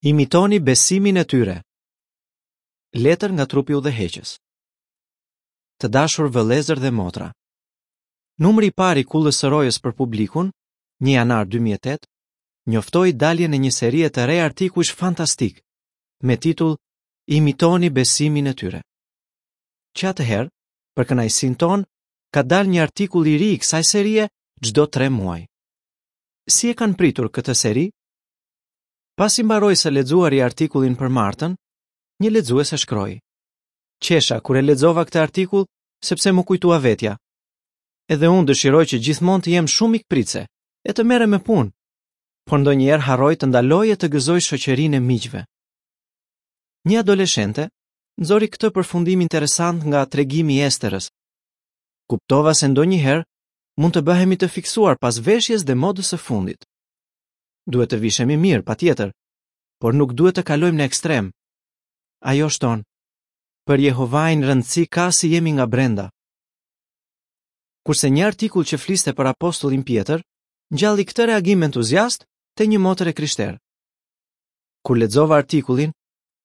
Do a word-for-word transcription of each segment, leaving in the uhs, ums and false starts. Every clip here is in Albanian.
Imitoni besimin e tyre. Letër nga Trupi Udhëheqës. Të dashur vëllezër dhe motra. Numri i parë i Kullës së Rojës për publikun, një janar dy mijë e tetë, njoftoi daljen e një serie të re artikujsh fantastik me titull Imitoni besimin e tyre. Që atëherë, për kënaqësinë tonë, ka dalë një artikull i ri i kësaj serie çdo tre muaj. Si e kanë pritur këtë seri? Pasi mbaroi së lexuari artikullin për Martën, një lexues e shkroi: Qesha kur e lexova këtë artikull, sepse më kujtua vetja. Edhe unë dëshiroj që gjithmonë të jem shumë mikpritse e të merrem me punë, por ndonjëherë harroj të ndaloj e të gëzoj shoqërinë e miqve. Një adoleshente nxori këtë përfundim interesant nga tregimi i Esterës. Kuptova se ndonjëherë mund të bëhemi të fiksuar pas veshjes dhe modës së fundit. Duhet të vishemi mirë, patjetër, por nuk duhet të kalojmë në ekstrem. Ajo shton: Për Jehovain rëndësi ka si jemi nga brenda. Kurse një artikull që fliste për apostullin Pjetër, ngjalli këtë reagim entuziast te një motër e krishterë. Kur lexova artikullin,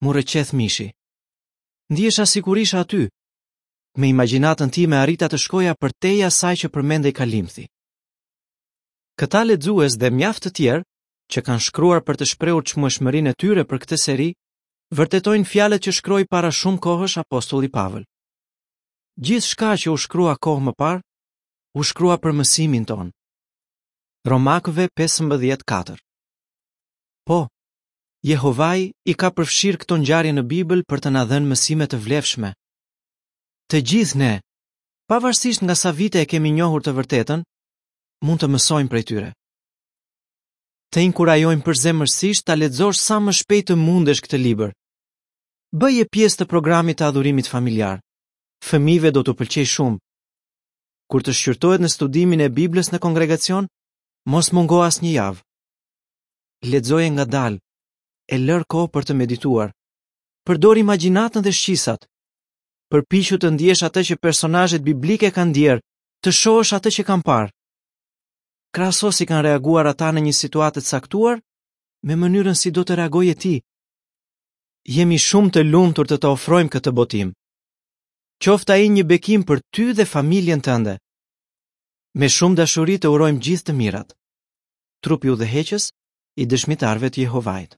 mu rrëqeth mishi. Ndihesha sikur isha aty. Me imagjinatën time arrita të shkoja përtej asaj që përmendej kalimthi. Këta lexues dhe mjaft të tjerë që kanë shkruar për të shprehur çmueshmërinë e tyre për këtë seri, vërtetojnë fjalët që shkroi para shumë kohësh apostulli Pavël. Gjithçka që u shkrua kohë më parë, u shkrua për mësimin tonë. Romakëve pesëmbëdhjetë katër. Po, Jehovai i ka përfshirë këto ngjarje në Bibël për të na dhënë mësime të vlefshme. Të gjithë ne, pavarësisht nga sa vite e kemi njohur të vërtetën, mund të mësojmë prej tyre. Të inkurajojmë përzemërsisht ta lexosh sa më shpejt të mundesh këtë libër. Bëje pjesë të programit të adhurimit familjar. Fëmijëve do t'u pëlqej shumë. Kur të shqyrtohet në studimin e Biblës në kongregacion, mos mungo asnjë javë. Lexoje ngadalë, e lër kohë për të medituar. Përdor imagjinatën dhe shqisat. Përpiqu të ndjesh atë që personazhet biblike kanë ndjerë, të shohësh atë që kanë parë. Krahaso si kanë reaguar ata në një situatë të caktuar me mënyrën si do të reagoje ti. Jemi shumë të lumtur të të ofrojmë këtë botim. Qoftë ai një bekim për ty dhe familjen tënde. Me shumë dashuri të urojmë gjithë të mirat. Trupi udhëheqës i dëshmitarëve të Jehovait.